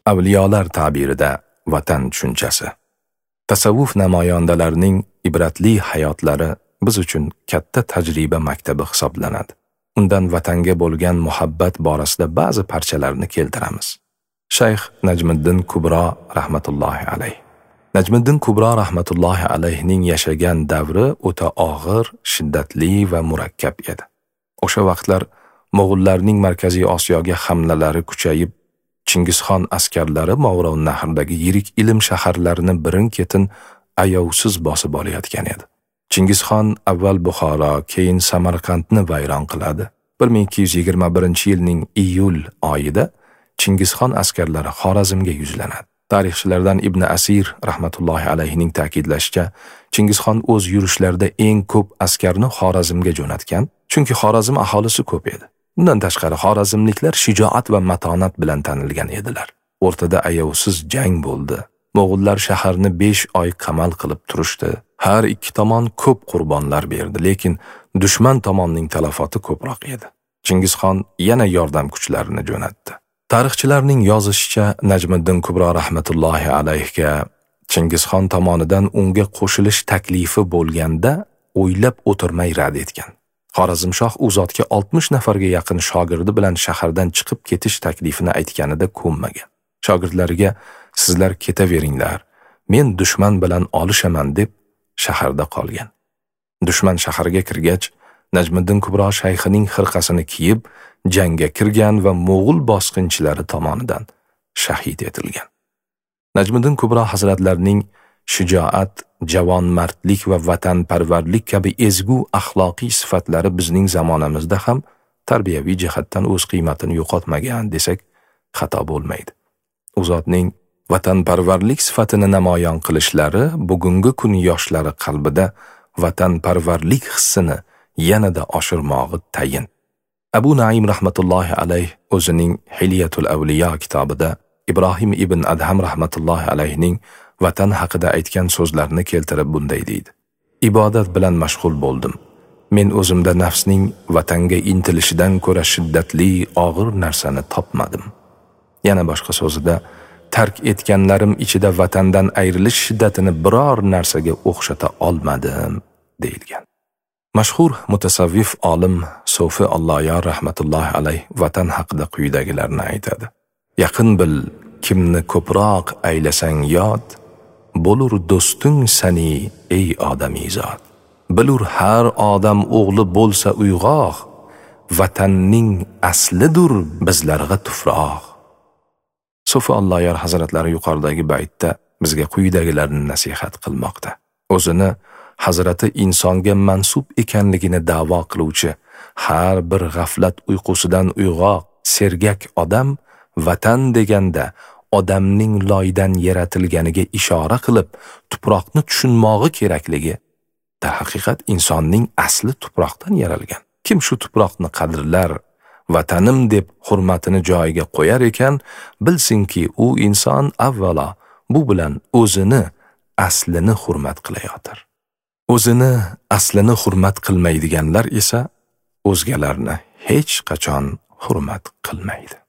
Avliyolar ta'birida vatan tushunchasi. Tasavvuf namoyandalarining ibratli hayotlari biz uchun katta tajriba maktabi hisoblanadi. Undan vatanga bo'lgan muhabbat borasida ba'zi parchalarni keltiramiz. Shayx Najmiddin Kubro rahmatullohi alayh. Najmiddin Kubro rahmatullohi alayhning yashagan davri o'ta og'ir, shiddatli va murakkab edi. O'sha vaqtlar Mo'g'ullarning Markaziy Osiyoga hamlalari kuchayib, Chingizxon askarlari Movarounnahrdagi yirik ilm shaharlarini birin-ketin ayovsiz bosib olayotgan edi. Chingizxon avval Buxoro, keyin Samarqandni vayron qiladi. 1221-yilning iyul oyida Chingizxon askarlari Xorazmga yuzlanadi. Tarixchilardan Ibn Asir rahmatullohi alayhining ta'kidlashicha, Chingizxon o'z yurishlarida eng ko'p askarni Xorazmga jo'natgan, chunki Xorazm aholisi ko'p edi. Bundan tashqari xorazmliklar shijoat va matonat bilan tanilgan edilar. O'rtada ayovsiz jang bo'ldi. Mo'g'ullar shaharni 5 oy qamal qilib turishdi. Har ikki tomon ko'p qurbonlar berdi, lekin dushman tomonning talafoti ko'proq edi. Chingizxon yana yordam kuchlarini jo'natdi. Tarixchilarning yozishicha, Najmiddin Kubro rahmatullohi alayhga Chingizxon tomonidan unga qo'shilish taklifi bo'lganda o'ylab o'tirmay rad etgan. Xorazmshoh u zotga 60 nafarga yaqin shogirdi bilan shahardan chiqib ketish taklifini aytganida ko'nmagan. Shogirdlariga sizlar ketaveringlar, men dushman bilan olishaman deb shaharda qolgan. Dushman shaharga kirgach, Najmiddin Kubro shayxining xirqasini kiyib, jangga kirgan va mo'g'ul bosqinchilari tomonidan shahid etilgan. Najmiddin Kubro hazratlarining shijoat, javonmardlik va vatanparvarlik kabi ezgu axloqiy sifatlari bizning zamonamizda ham tarbiyaviy jihatdan o'z qiymatini yo'qotmagan desak xato bo'lmaydi. U zotning vatanparvarlik sifatini namoyon qilishlari bugungi kun yoshlari qalbida vatanparvarlik hissini yanada oshirmog'i tayin. Abu Naim rahmatullohi alayh o'zining Hilyatul Avliyo kitobida Ibrohim ibn Adham rahmatullohi alayhning vatan haqida aytgan so'zlarini keltirib bunday deydi: Ibodat bilan mashg'ul bo'ldim. Men o'zimda nafsning vatanga intilishidan ko'ra shiddatli, og'ir narsani topmadim. Yana boshqa so'zida, tark etganlarim ichida vatandan ayrilish shiddatini biror narsaga o'xshata olmadim, deyilgan. Mashhur mutasavvif olim Sofi Alloyor rahmatullohi alayh vatan haqida quyidagilarni aytadi: Yaqin bil, kimni ko'proq aylasang yod, bo'lur do'sting sani ey odamizod. Bilur har odam o'g'li bo'lsa uyg'oq, vatanning aslidir bizlarga tufroq. Sofi Alloyor hazratlari yuqoridagi baytda bizga quyidagilarni nasihat qilmoqda. O'zini hazrati insonga mansub ekanligini da'vo qiluvchi har bir g'aflat uyqusidan uyg'oq, sergak odam vatan deganda odamning loydan yaratilganiga ishora qilib, tuproqni tushunmog'i kerakligi, darhaqiqat insonning asli tuproqdan yaralgan. Kim shu tuproqni qadrlar, vatanim deb hurmatini joyiga qo'yar ekan, bilsinki u inson avvalo bu bilan o'zini aslini hurmat qilayotir. O'zini aslini hurmat qilmaydiganlar esa o'zgalarni hech qachon hurmat qilmaydi.